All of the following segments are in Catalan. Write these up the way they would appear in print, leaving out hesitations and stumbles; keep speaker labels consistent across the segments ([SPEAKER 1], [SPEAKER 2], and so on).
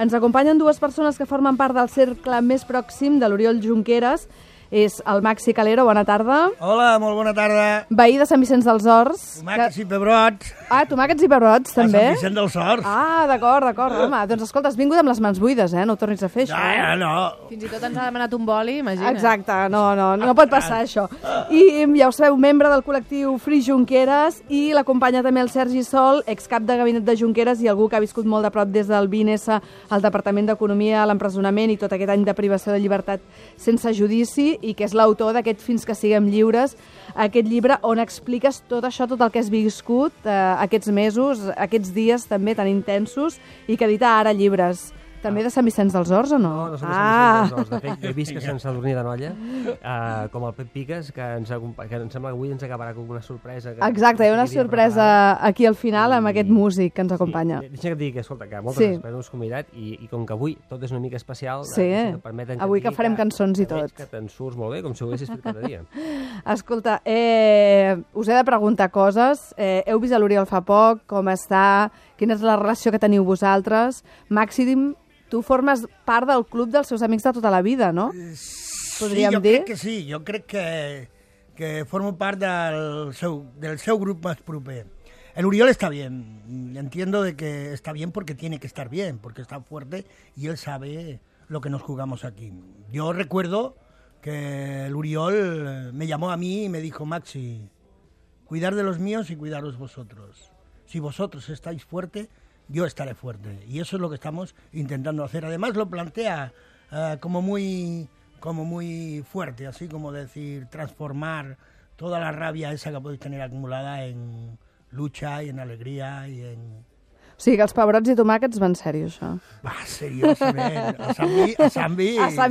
[SPEAKER 1] Ens acompanyen dues persones que formen part del cercle més pròxim de l'Oriol Junqueras. És el Maxi Calero, bona tarda.
[SPEAKER 2] Hola, molt bona tarda.
[SPEAKER 1] Veí de Sant Vicenç dels Horts.
[SPEAKER 2] Tomàquets i pebrots.
[SPEAKER 1] Ah, tomàquets i pebrots, també?
[SPEAKER 2] A Sant Vicenç dels Horts.
[SPEAKER 1] Ah, d'acord. Home, doncs escolta, has vingut amb les mans buides, no ho tornis a fer, això.
[SPEAKER 2] No.
[SPEAKER 3] Fins i tot ens ha demanat un boli, imagina.
[SPEAKER 1] Exacte, no pot passar, això. I ja ho sabeu, membre del col·lectiu Free Junqueras, i l'acompanya també el Sergi Sol, excap de gabinet de Junqueras i algú que ha viscut molt de prop des del 20S al Departament d'Economia, a l'empresonament i tot aquest any de privació de llibertat sense judici, i que és l'autor d'aquest Fins que siguem lliures, aquest llibre on expliques tot això, tot el que has viscut aquests mesos, aquests dies també tan intensos, i que edita ara llibres. També de Sant Vicenç dels Horts o no?
[SPEAKER 4] No, no som de Sant Vicenç dels Horts. De fet, he vist que Sant Sadurní d'Anoia, com el Pep Piques, que em sembla que avui ens acabarà com una sorpresa.
[SPEAKER 1] Exacte, hi ha una sorpresa aquí al final amb aquest músic que ens acompanya.
[SPEAKER 4] Deixa que et digui que, escolta, que moltes gràcies per haver-nos convidat, i com que avui tot és una mica especial...
[SPEAKER 1] Sí, avui que farem cançons i tot.
[SPEAKER 4] Que te'n surts molt bé, com si ho haguessis fet cada dia.
[SPEAKER 1] Escolta, us he de preguntar coses. Heu vist l'Oriol fa poc, com està, quina és la relació que teniu vosaltres? Màxim, tu formes part del club dels seus amics de tota la vida, no?
[SPEAKER 2] Podríem dir? Crec que sí, jo crec que formo part del seu grup más proper. El Oriol está bien, entiendo de que está bien porque tiene que estar bien, porque está fuerte y él sabe lo que nos jugamos aquí. Yo recuerdo que el Oriol me llamó a mí y me dijo: Maxi, cuidar de los míos y cuidaros vosotros. Si vosotros estáis fuerte, yo estaré fuerte. Y eso es lo que estamos intentando hacer. Además lo plantea como muy fuerte, así como decir, transformar toda la rabia esa que podéis tener acumulada en lucha y en alegría y en...
[SPEAKER 1] O sigui que els pebrots i tomàquets van sèrio, això.
[SPEAKER 2] Va, seriosament. A Sant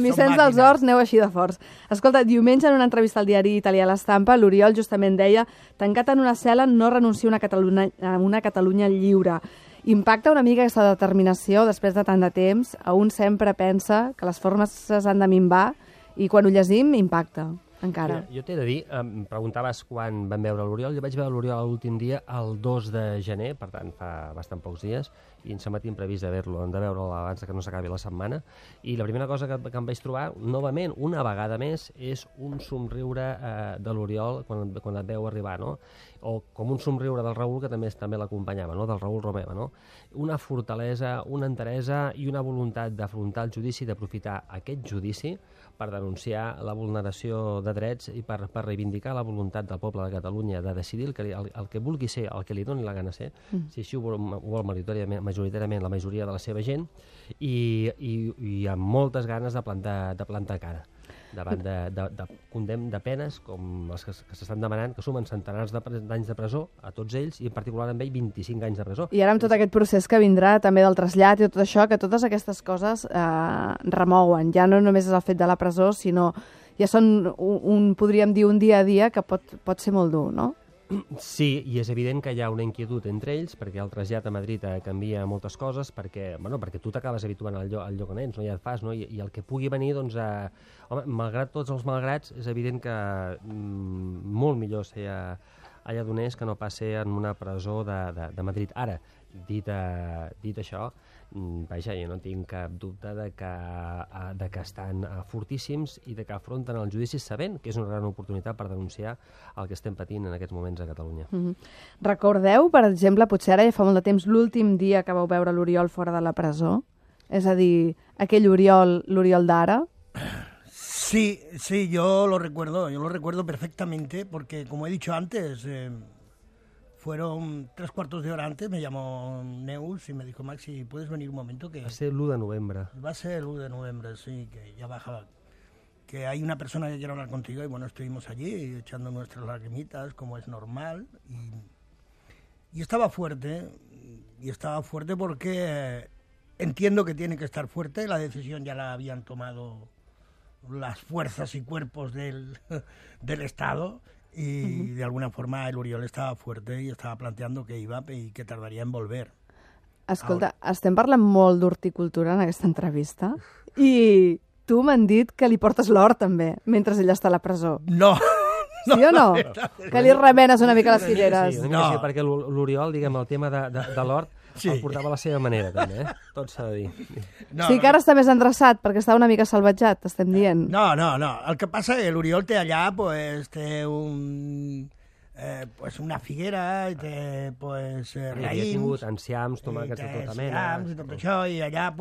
[SPEAKER 1] Vicenç dels Horts aneu així de forts. Escolta, diumenge en una entrevista al diari italià L'Estampa, l'Oriol justament deia: tancat en una cel·la no renuncio a una Catalunya lliure. Impacta una mica aquesta determinació després de tant de temps? A un sempre pensa que les formes s'han de minvar i quan ho llegim impacta. Encara.
[SPEAKER 4] Jo t'he de dir, em preguntaves quan vam veure l'Oriol. Jo vaig veure l'Oriol l'últim dia, el 2 de gener, per tant fa bastant pocs dies, i em sembla previst de veure'l abans que no s'acabi la setmana. I la primera cosa que em vaig trobar, novament, una vegada més, és un somriure de l'Oriol quan et veu arribar, no? O com un somriure del Raül, que també l'acompanyava, no? Del Raül Romeva, no? Una fortalesa, una enteresa i una voluntat d'afrontar el judici, d'aprofitar aquest judici per denunciar la vulneració de drets i per reivindicar la voluntat del poble de Catalunya de decidir el que vulgui ser, el que li doni la gana ser, si així ho vol majoritàriament la majoria de la seva gent, i amb moltes ganes de plantar cara davant de condemn de penes com les que s'estan demanant, que sumen centenars d'anys de presó a tots ells, i en particular amb ell 25 anys de presó.
[SPEAKER 1] I ara amb tot aquest procés que vindrà també del trasllat i tot això, que totes aquestes coses remouen. Ja no només és el fet de la presó, sinó ja són, podríem dir, un dia a dia que pot ser molt dur, no?
[SPEAKER 4] Sí, i és evident que hi ha una inquietud entre ells, perquè el trasllat a Madrid canvia moltes coses, perquè tu t'acabes habituant al lloc on ets, no? Ja et fas, no? I el que pugui venir, doncs, home, malgrat tots els malgrats, és evident que molt millor ser allà d'on és que no passi en una presó de Madrid. Ara, dit això, vaja, jo no tinc cap dubte de que estan fortíssims i de que afronten el judici sabent que és una gran oportunitat per denunciar el que estem patint en aquests moments a Catalunya.
[SPEAKER 1] Recordeu, per exemple, potser ara ja fa molt de temps, l'últim dia que vau veure l'Oriol fora de la presó? És a dir, aquell l'Oriol d'ara?
[SPEAKER 2] Sí, yo lo recuerdo perfectamente, porque como he dicho antes... Fueron 3/4 de hora antes, me llamó Neus y me dijo: Maxi, ¿puedes venir un momento? Que
[SPEAKER 4] va ser l'1 de novembre.
[SPEAKER 2] Va ser el 1 de noviembre, sí, que ya bajaba. Que hay una persona que quiere hablar contigo, y bueno, estuvimos allí echando nuestras lagrimitas, como es normal. Y estaba fuerte porque entiendo que tiene que estar fuerte. La decisión ya la habían tomado las fuerzas y cuerpos del Estado. Y de alguna forma el Oriol estava fuerte i estava planteando que iba i que tardaria en volver.
[SPEAKER 1] Escolta, estem parlant molt d'horticultura en aquesta entrevista i tu m'han dit que li portes l'hort també, mentre ell està a la presó.
[SPEAKER 2] No!
[SPEAKER 1] Sí o no? Que li remenes una mica les cireres.
[SPEAKER 4] Sí, perquè l'Oriol, diguem, el tema de l'hort, el portava a la seva manera, també, tot s'ha de dir.
[SPEAKER 1] No, sí que ara està més endreçat, perquè està una mica salvatjat, t'estem dient.
[SPEAKER 2] No. El que passa és que l'Oriol té allà, té una figuera, i té raïms...
[SPEAKER 4] Havia tingut enciams, tomàquets de tota mena...
[SPEAKER 2] I tot això, i allà,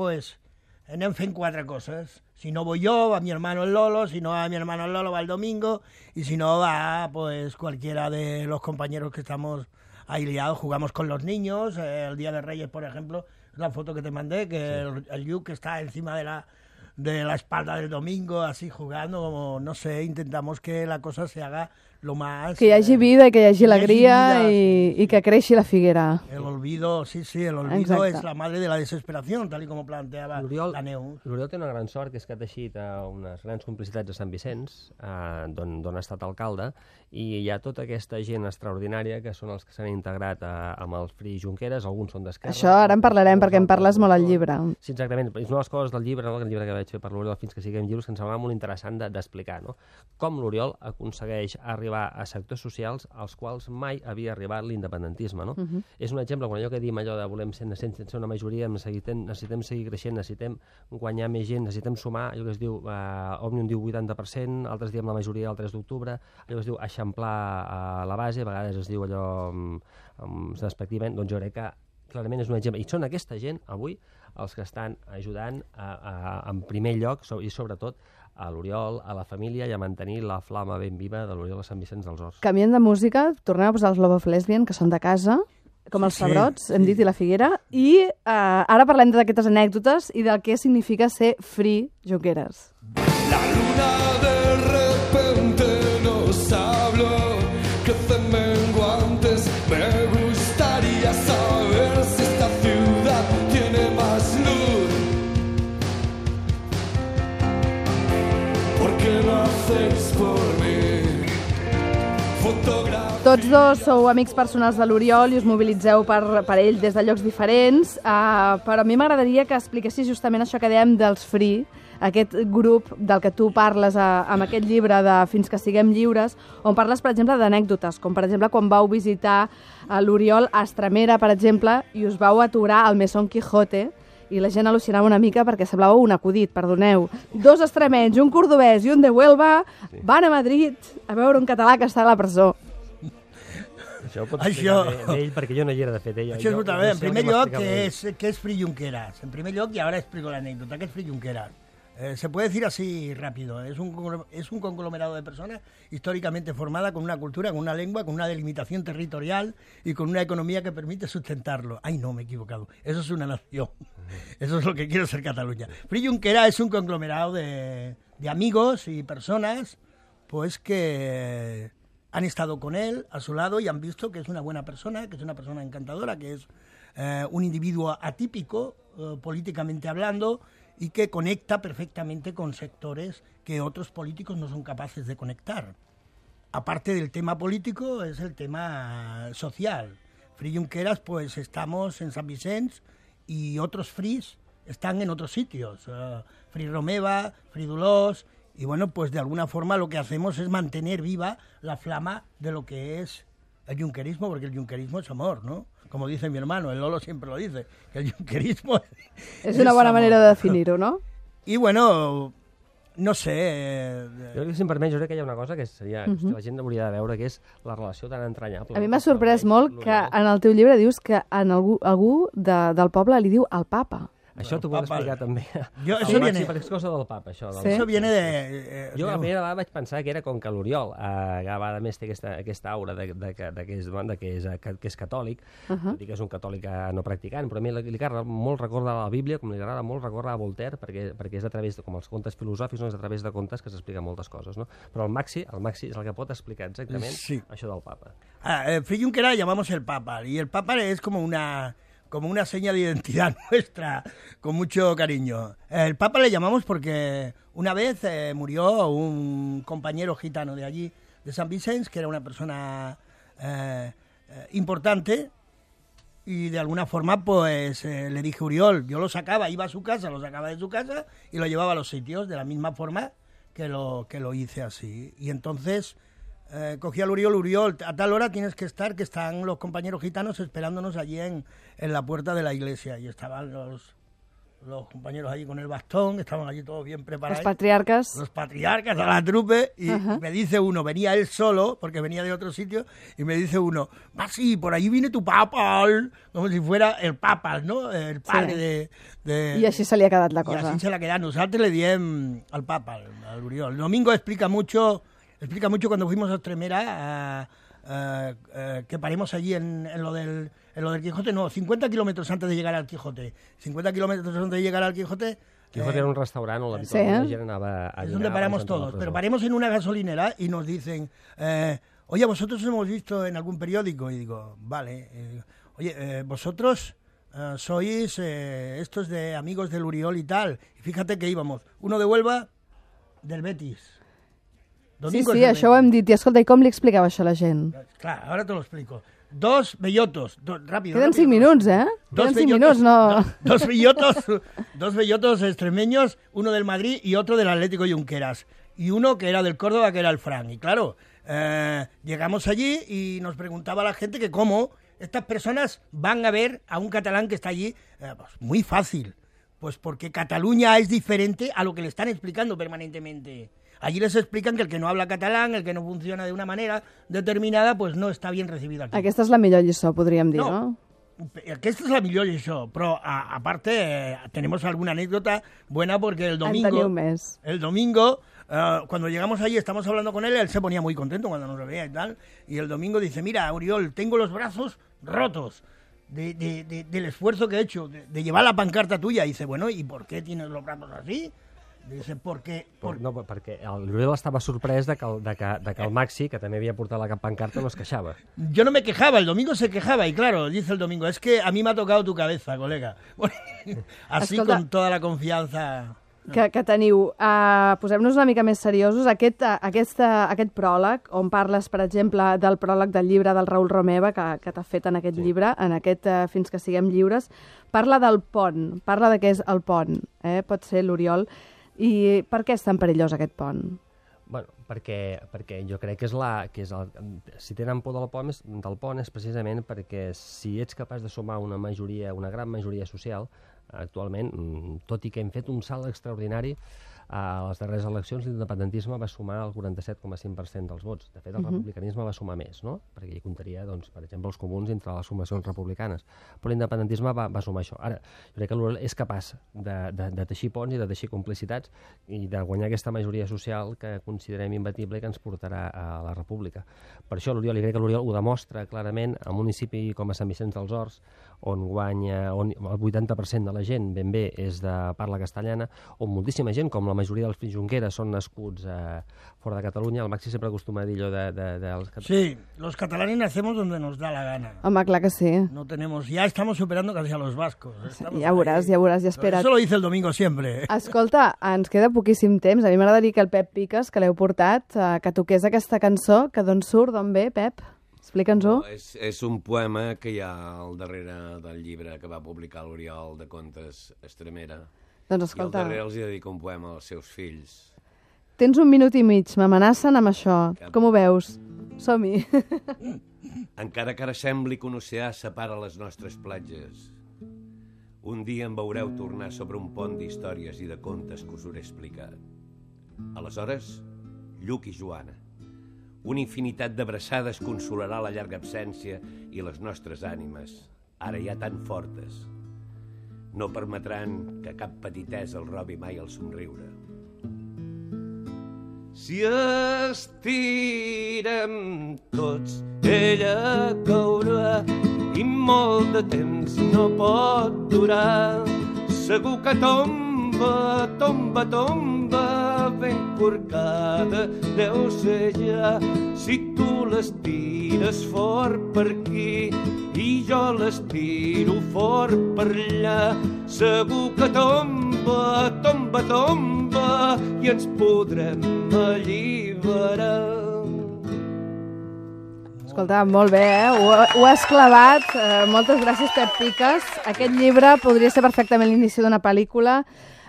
[SPEAKER 2] anem fent 4 coses. Si no voy yo, va mi hermano el Lolo, si no va mi hermano el Lolo, va el Domingo, y si no va, cualquiera de los compañeros que estamos ahí liados, jugamos con los niños. El Día de Reyes, por ejemplo, la foto que te mandé, que el Luke está encima de la espalda del Domingo, así jugando, como, no sé, intentamos que la cosa se haga lo más...
[SPEAKER 1] Que hi hagi vida i que hi hagi alegria i que creixi la figuera.
[SPEAKER 2] El olvido, sí, el olvido es la madre de la desesperación, tal y como planteaba la Neus.
[SPEAKER 4] L'Oriol té una gran sort, que és que ha teixit unes grans complicitats a Sant Vicenç, d'on ha estat alcalde, i hi ha tota aquesta gent extraordinària que són els que s'han integrat amb el Free Junqueras, alguns són d'Esquerra...
[SPEAKER 1] Això ara en parlarem, perquè en parles molt al llibre.
[SPEAKER 4] Sí, exactament. És una de les coses del llibre, el llibre que vaig fer per l'Oriol fins que siguem lliures, que em semblava molt interessant d'explicar, com l'Oriol aconsegueix arribar a sectors socials als quals mai havia arribat l'independentisme. És un exemple, quan allò que diem allò de volem ser una majoria, necessitem seguir creixent, necessitem guanyar més gent, necessitem sumar, allò que es diu, Òmnium diu 80%, altres diem la majoria el 3 d'octubre, allò que es diu eixamplar la base, a vegades es diu allò despectivament, doncs jo crec que clarament és un exemple. I són aquesta gent, avui, els que estan ajudant en primer lloc, i sobretot, a l'Oriol, a la família, i a mantenir la flama ben viva de l'Oriol a Sant Vicenç dels Horts.
[SPEAKER 1] Canviem de música, tornem a posar els Love of Lesbian, que són de casa, com els Pebrots, hem dit, i la Figuera, i ara parlem d'aquestes anècdotes i del que significa ser Free Junqueras.
[SPEAKER 5] La luna de repente nos habló, crecen menguantes, me gustaría saber si esta ciudad tiene más luz. ¿Por qué lo hacéis por mí?
[SPEAKER 1] Tots dos sou amics personals de l'Oriol i us mobilitzeu per ell des de llocs diferents, però a mi m'agradaria que expliquessis justament això que dèiem dels Free, aquest grup del que tu parles amb aquest llibre de Fins que siguem lliures, on parles, per exemple, d'anècdotes, com per exemple quan vau visitar l'Oriol a Estremera, per exemple, i us vau aturar al Mesón Quijote, i la gent al·lucinava una mica perquè semblava un acudit, perdoneu. 2 extremenys, un cordobès i un de Huelva van a Madrid a veure un català que està a la presó.
[SPEAKER 4] Això ho pots explicar d'ell, perquè jo no hi era, de fet.
[SPEAKER 2] Això és molt bé. En primer lloc, què és Free Junqueras? En primer lloc, y ahora explico la anécdota, ¿qué es Free Junqueras? Se puede decir así rápido, es un conglomerado de personas históricamente formada con una cultura, con una lengua, con una delimitación territorial y con una economía que permite sustentarlo. Ay, no, me he equivocado. Eso es una nación. Eso es lo que quiero ser Cataluña. Free Junqueras es un conglomerado de amigos y personas pues que han estado con él, a su lado, y han visto que es una buena persona, que es una persona encantadora, que es un individuo atípico, políticamente hablando, y que conecta perfectamente con sectores que otros políticos no son capaces de conectar. Aparte del tema político, es el tema social. Free Junqueras, pues estamos en San Vicenç y otros Frees están en otros sitios. Free Romeva, Free Dolors, y bueno, pues de alguna forma lo que hacemos es mantener viva la flama de lo que es el junquerismo, porque el junquerismo es amor, ¿no? Como dice mi hermano, el Lolo siempre lo dice, que el junquerismo
[SPEAKER 1] es una buena manera de definir-ho, no?
[SPEAKER 2] I bueno, no sé...
[SPEAKER 4] Jo crec que, si em permet, jo crec que hi ha una cosa que seria, que la gent hauria de veure, que és la relació tan entranyable.
[SPEAKER 1] A mi m'ha sorprès molt que en el teu llibre dius que algú del poble li diu el papa.
[SPEAKER 4] Això t'ho vull explicar també.
[SPEAKER 2] Això viene...
[SPEAKER 4] Per excusa del papa, això.
[SPEAKER 2] Sí? Això viene de...
[SPEAKER 4] Jo la primera vegada vaig pensar que era com que l'Oriol, que a més té aquesta aura que és catòlic, tot i que és un catòlic no practicant, però a mi li agrada molt recordar la Bíblia, com li agrada molt recordar a Voltaire, perquè és a través, com els contes filosòfics, és a través de contes que s'expliquen moltes coses, no? Però el Maxi és el que pot explicar exactament això del papa.
[SPEAKER 2] Free Junqueras llamamos el papa, y el papa es como una seña de identidad nuestra, con mucho cariño. El Papa le llamamos porque una vez murió un compañero gitano de allí, de San Vicenç, que era una persona importante, y de alguna forma pues le dije, Oriol, yo lo sacaba, iba a su casa, lo sacaba de su casa y lo llevaba a los sitios, de la misma forma que lo hice así. Y entonces cogí al Uriol, a tal hora tienes que estar, que están los compañeros gitanos esperándonos allí en la puerta de la iglesia. Y estaban los compañeros allí con el bastón, estaban allí todos bien preparados.
[SPEAKER 1] Los patriarcas.
[SPEAKER 2] Los patriarcas a la trupe, y me dice uno, venía él solo, porque venía de otro sitio, y me dice uno, sí, por ahí viene tu papal, como si fuera el papal, ¿no? El padre de...
[SPEAKER 1] I així se li ha quedat la
[SPEAKER 2] Y
[SPEAKER 1] cosa.
[SPEAKER 2] así se la queda. Nosotros le diem al papal, al Uriol. El domingo explica mucho cuando fuimos a Extremera, que paremos allí en lo del Quijote, no, 50 kilómetros antes de llegar al Quijote. 50 kilómetros antes de llegar al Quijote...
[SPEAKER 4] Quijote era un restaurant on
[SPEAKER 1] Sí,
[SPEAKER 4] la gent anava a
[SPEAKER 2] es
[SPEAKER 4] dinar.
[SPEAKER 2] donde paramos
[SPEAKER 4] abans d'entrar a la
[SPEAKER 2] todos,
[SPEAKER 4] presó.
[SPEAKER 2] pero paremos en una gasolinera y nos dicen, oye, vosotros hemos visto en algún periódico, y digo, vale, oye, vosotros sois estos de amigos del Uriol y tal, y fíjate que íbamos, uno de Huelva, del Betis.
[SPEAKER 1] Sí,
[SPEAKER 2] Domingo
[SPEAKER 1] sí,
[SPEAKER 2] es del
[SPEAKER 1] això ho hem dit. I escolta, i com li explicava això a la gent?
[SPEAKER 2] Claro, ahora te lo explico. Dos bellotos, rápido.
[SPEAKER 1] Queden 5
[SPEAKER 2] rápido.
[SPEAKER 1] minuts, eh? Queden 5 minuts, no...
[SPEAKER 2] Dos bellotos extremeños, uno del Madrid y otro del Atlético Junqueras. Y uno que era del Córdoba, que era el Fran. Y claro, llegamos allí y nos preguntaba la gente que cómo estas personas van a ver a un catalán que está allí. Pues muy fácil, pues porque Cataluña es diferente a lo que le están explicando permanentemente. Allí les explican que el que no habla catalán, el que no funciona de una manera determinada, pues no está bien recibido aquí.
[SPEAKER 1] Aquesta és la millor lliçó, podríem dir, no?
[SPEAKER 2] Aquesta és la millor lliçó, però aparte tenemos alguna anécdota buena porque el
[SPEAKER 1] En teniu
[SPEAKER 2] domingo,
[SPEAKER 1] més.
[SPEAKER 2] cuando llegamos allí, estamos hablando con él se ponía muy contento cuando nos veía y tal, y el domingo dice, mira, Uriol, tengo los brazos rotos del esfuerzo que he hecho, de llevar la pancarta tuya. Y dice, bueno, ¿y por qué tienes los brazos así? Dice, perquè...
[SPEAKER 4] No, perquè l'Uriol estava sorprès de que el Maxi, que també havia portat la pancarta, no es queixava.
[SPEAKER 2] Yo no me quejaba, el domingo se quejaba, y claro, dice el domingo, es que a mí me ha tocado tu cabeza, colega. Así
[SPEAKER 1] Escolta,
[SPEAKER 2] con toda la confianza...
[SPEAKER 1] que teniu. Posem-nos una mica més seriosos. Aquest pròleg, on parles, per exemple, del pròleg del llibre del Raül Romeva, que t'ha fet en aquest llibre, en aquest Fins que siguem lliures, parla del pont, parla de què és el pont, pot ser l'Oriol. I per què és tan perillós aquest pont?
[SPEAKER 4] Bueno, perquè jo crec que si tenen por del pont és precisament perquè si ets capaç de sumar una gran majoria social, actualment, tot i que hem fet un salt extraordinari, a les darreres eleccions l'independentisme va sumar el 47,5% dels vots. De fet, el republicanisme va sumar més, no? Perquè hi comptaria, doncs, per exemple, els comuns entre les sumacions republicanes. Però l'independentisme va sumar això. Ara, jo crec que l'Oriol és capaç de teixir ponts i de teixir complicitats i de guanyar aquesta majoria social que considerem imbatible i que ens portarà a la república. Per això l'Oriol, i crec que l'Oriol ho demostra clarament, a un municipi com a Sant Vicenç dels Horts, on el 80% de la gent ben bé és de parla castellana, on moltíssima gent, com la majoria dels fills Junqueras, són nascuts fora de Catalunya. El Maxi sempre acostuma a dir allò dels catalans.
[SPEAKER 2] Sí, los catalanes nacemos donde nos da la gana.
[SPEAKER 1] Home, clar que sí.
[SPEAKER 2] No tenemos, ya estamos superando casi a los vascos.
[SPEAKER 1] Ja veuràs, ja espera't.
[SPEAKER 2] Eso lo dice el domingo siempre.
[SPEAKER 1] Escolta, ens queda poquíssim temps. A mi m'agradaria que el Pep Piques, que l'heu portat, que toqués aquesta cançó, que d'on surt, d'on ve, Pep? Explica'ns-ho.
[SPEAKER 6] És un poema que hi ha al darrere del llibre que va publicar l'Oriol de contes Extremera.
[SPEAKER 1] Doncs
[SPEAKER 6] I al
[SPEAKER 1] escolta,
[SPEAKER 6] darrere els dedica un poema als seus fills.
[SPEAKER 1] tens 1 minut i mig, m'amenacen amb això. Com ho veus? Som-hi.
[SPEAKER 6] Encara que ara sembli que un oceà separa les nostres platges, un dia em veureu tornar sobre un pont d'històries i de contes que us hauré explicat. Aleshores, Lluc i Joana, una infinitat d'abraçades consolarà la llarga absència i les nostres ànimes, ara ja tan fortes, no permetran que cap petitesa el robi mai el somriure. Si estirem tots, ella caurà i molt de temps no pot durar. Segur que tomba, tomba, tomba, ben corcada deu ser ja. Si tu l'estires fort per aquí i jo l'estiro fort per allà, segur que tomba, tomba, tomba i ens podrem alliberar.
[SPEAKER 1] Escolta, molt bé, ho has clavat. Moltes gràcies, Pep Piques. Aquest llibre podria ser perfectament l'inici d'una pel·lícula.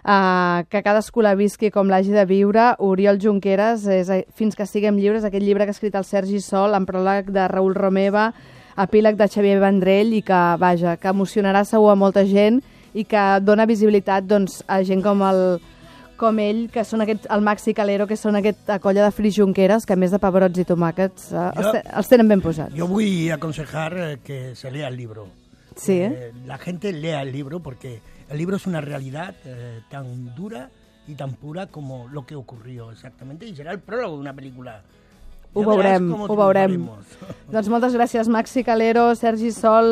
[SPEAKER 1] que cadascú la visqui com l'hagi de viure. Oriol Junqueras, Fins que siguem lliures, aquest llibre que ha escrit el Sergi Sol, amb pròleg de Raül Romeva, epíleg de Xavier Vendrell, i que, vaja, que emocionarà segur a molta gent i que dona visibilitat doncs, a gent com ell, que són el Maxi Calero, que són aquesta colla de Fris Junqueras, que a més de pebrots i tomàquets els tenen ben posats.
[SPEAKER 2] Yo voy a aconsejar que se lea el libro.
[SPEAKER 1] Sí.
[SPEAKER 2] La gente lea el libro porque el libro es una realidad tan dura y tan pura como lo que ocurrió exactamente, y será el prólogo de una película.
[SPEAKER 1] Ho veurem. Doncs moltes gràcies, Maxi Calero, Sergi Sol,